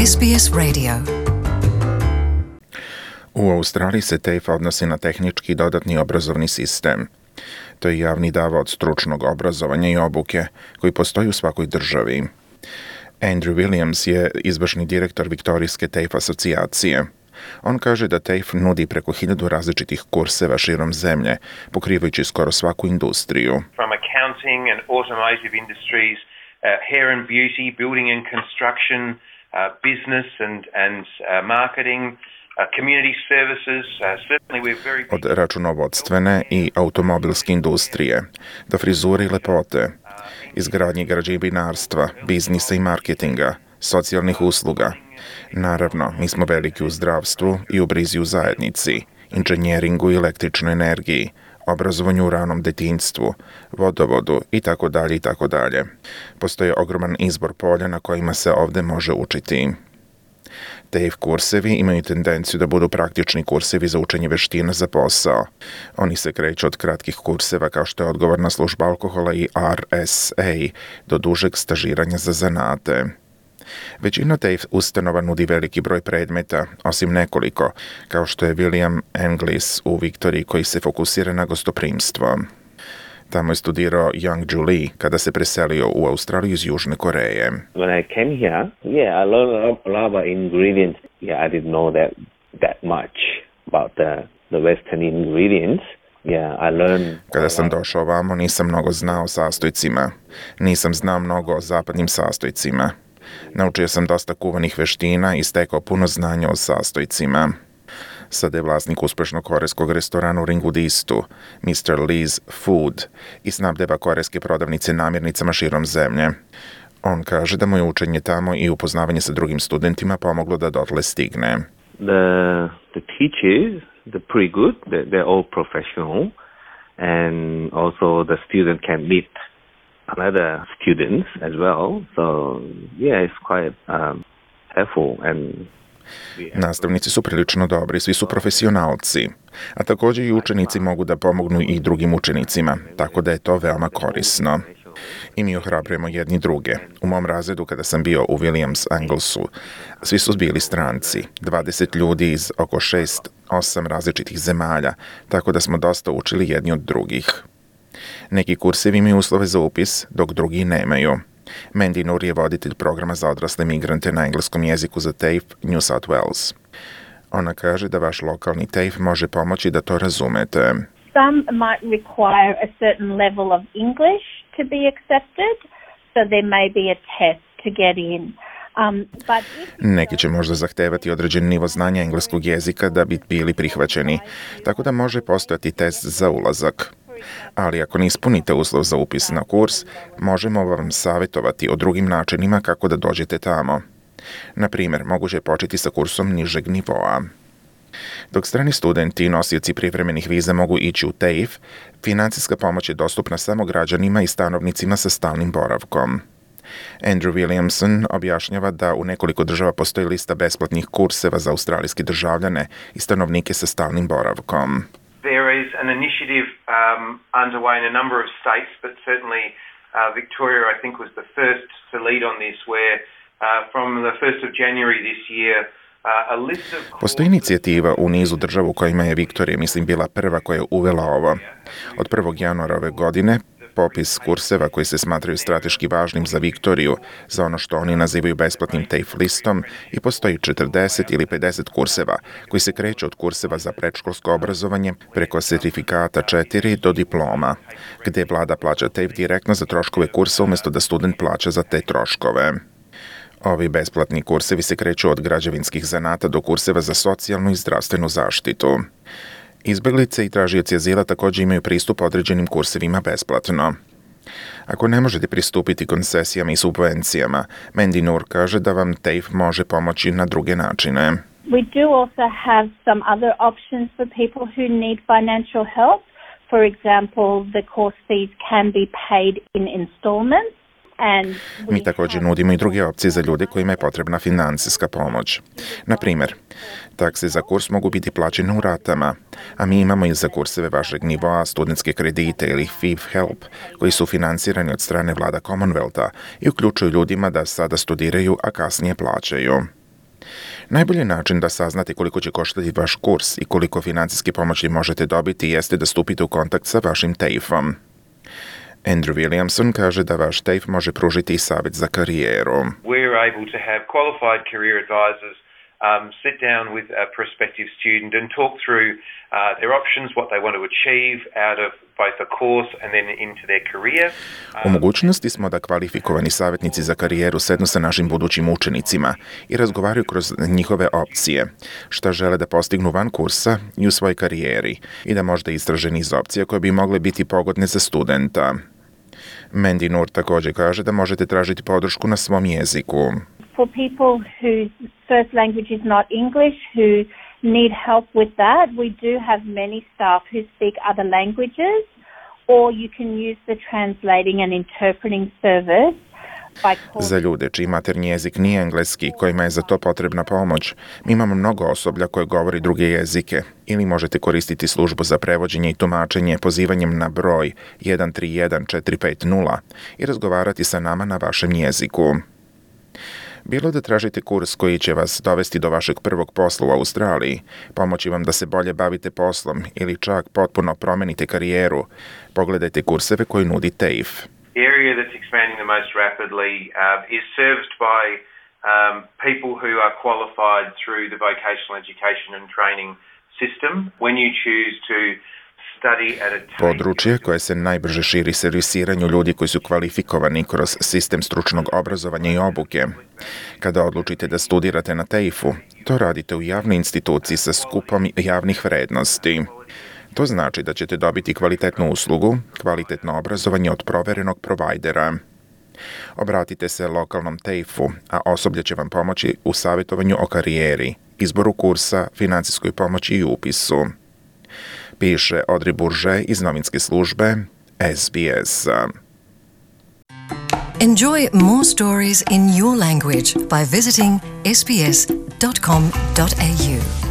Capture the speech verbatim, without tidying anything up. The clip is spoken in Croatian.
S B S Radio. U Australiji se T A F E odnosi na tehnički dodatni obrazovni sistem. To je javni davao stručnog obrazovanja i obuke koji postoji u svakoj državi. Andrew Williams je izvršni direktor Viktorijske T A F E asocijacije. On kaže da T A F E nudi preko hiljadu različitih kurseva širom zemlje, pokrivajući skoro svaku industriju. From accounting and automotive industries, uh, hair and beauty, building and construction, uh, business and, and uh, marketing, uh, community services. Uh, certainly we're very... Od računovodstvene i automobilske industrije, do frizure i lepote, izgradnje građevinarstva, biznisa i marketinga, socijalnih usluga. Naravno, mi smo veliki u zdravstvu i u brizi u zajednici, inženjeringu i električnoj energiji, obrazovanju u ranom detinjstvu, vodovodu i tako dalje i tako dalje. Postoji ogroman izbor polja na kojima se ovde može učiti. T A F E kursevi imaju tendenciju da budu praktični kursevi za učenje veština za posao. Oni se kreću od kratkih kurseva kao što je odgovorna služba alkohola i R S A do dužeg stažiranja za zanate. Većina T A F E ustanova nudi veliki broj predmeta, osim nekoliko, kao što je William Englis u Viktoriji koji se fokusira na gostoprimstvo. Tamo je studirao Young Julie kada se preselio u Australiju iz Južne Koreje. When I came here, yeah, I learned a lot about ingredients. Yeah, I didn't know that that much about the the Western ingredients. Yeah, I learned. Kada sam došao ovamo, nisam mnogo znao o sastojcima. Nisam znao mnogo o zapadnim sastojcima. Naučio sam dosta kuvanih veština i stekao puno znanja o sastojcima. Sada je vlasnik uspešnog korejskog restorana u Ringudistu, mister Lee's Food, i snabdeva korejske prodavnice namirnicama širom zemlje. On kaže da mu je učenje tamo i upoznavanje sa drugim studentima pomoglo da dotle stigne. The the teachers, they're pretty good. They're, they're all professional, and also the student can meet other students as well. So yeah, it's quite um, helpful and. Nastavnici su prilično dobri, svi su profesionalci, a također i učenici mogu da pomognu i drugim učenicima, tako da je to veoma korisno. I mi ohrabrujemo jedni druge. U mom razredu kada sam bio u Williams Englesu, svi su bili stranci, dvadeset ljudi iz oko šest osam različitih zemalja, tako da smo dosta učili jedni od drugih. Neki kursevi imaju uslove za upis, dok drugi nemaju. Mandy Noor je voditelj programa za odrasle migrante na engleskom jeziku za T A F E New South Wales. Ona kaže da vaš lokalni T A F E može pomoći da to razumete. Some might require a certain level of English to be accepted, so there may be a test to get in. Um, but if... Neki će možda zahtevati određen nivo znanja engleskog jezika da bi bili prihvaćeni, tako da može postojati test za ulazak. Ali ako ne ispunite uslov za upis na kurs, možemo vam savjetovati o drugim načinima kako da dođete tamo. Na primjer, moguće je početi sa kursom nižeg nivoa. Dok strani studenti i nosioci privremenih viza mogu ići u T A F E, financijska pomoć je dostupna samo građanima i stanovnicima sa stalnim boravkom. Andrew Williamson objašnjava da u nekoliko država postoji lista besplatnih kurseva za australijske državljane i stanovnike sa stalnim boravkom. There is an initiative um, underway in a number of states, but certainly uh, Victoria, I think, was the first to lead on this, where uh, from the first of January this year, uh, a list of... Postoji inicijativa u nizu država u kojima je Viktorija, mislim, bila prva koja je uvela ovo. Od prvog januara ove godine, popis kurseva koji se smatraju strateški važnim za Viktoriju, za ono što oni nazivaju besplatnim T A F E listom, i postoji četrdeset ili pedeset kurseva koji se kreću od kurseva za predškolsko obrazovanje preko sertifikata četiri do diploma, gde vlada plaća T A F E direktno za troškove kursa umjesto da student plaća za te troškove. Ovi besplatni kursevi se kreću od građevinskih zanata do kurseva za socijalnu i zdravstvenu zaštitu. Izbeglice i tražioci azila također imaju pristup određenim kursevima besplatno. Ako ne možete pristupiti koncesijama i subvencijama, Mandy Noor kaže da vam T A F E može pomoći na druge načine. We do also have some other options for people who need financial help. For example, the course fees can be paid in installments. Mi također nudimo i druge opcije za ljude kojima je potrebna financijska pomoć. Na primjer, takse za kurs mogu biti plaćene u ratama, a mi imamo i za kurseve vašeg nivoa studentske kredite ili F I V Help, koji su financirani od strane vlada Commonwealtha i uključuju ljudima da sada studiraju, a kasnije plaćaju. Najbolji način da saznate koliko će koštati vaš kurs i koliko financijske pomoći možete dobiti jeste da stupite u kontakt sa vašim T A F om. Andrew Williamson kaže da vaš T A F može pružiti i savjet za karijeru. We're able to have qualified career advisors um, sit down with a prospective student and talk through uh, their options, what they want to achieve out of both the course and then into their career. U mogućnosti smo da kvalifikovani savjetnici za karijeru sednu sa našim budućim učenicima i razgovaraju kroz njihove opcije, šta žele da postignu van kursa i u svojoj karijeri i da možda istraže niz opcija koje bi mogle biti pogodne za studenta. Mandy Nur također kaže da možete tražiti podršku na svom jeziku. For people whose first language is not English, who need help with that, we do have many staff who speak other languages, or you can use the translating and interpreting service. Za ljude čiji maternji jezik nije engleski, kojima je za to potrebna pomoć, mi imamo mnogo osoblja koje govori druge jezike ili možete koristiti službu za prevođenje i tumačenje pozivanjem na broj jedan tri jedan četiri pet nula i razgovarati sa nama na vašem jeziku. Bilo da tražite kurs koji će vas dovesti do vašeg prvog posla u Australiji, pomoći vam da se bolje bavite poslom ili čak potpuno promenite karijeru, pogledajte kurseve koje nudi T A F. The area that's expanding the most rapidly uh, is serviced by um, people who are qualified through the vocational education and training system. When you choose to study at a Područje koje se najbrže širi servisiranju ljudi koji su kvalifikovani kroz sistem stručnog obrazovanja i obuke. Kada odlučite da studirate na T A F u, to radite u javnoj instituciji sa skupom javnih vrednosti. To znači da ćete dobiti kvalitetnu uslugu, kvalitetno obrazovanje od proverenog provajdera. Obratite se lokalnom T A F u, a osoblje će vam pomoći u savjetovanju o karijeri, izboru kursa, financijskoj pomoći i upisu. Piše Audrey Bourget iz novinske službe S B S. Enjoy more stories in your language by visiting s b s dot com dot a u.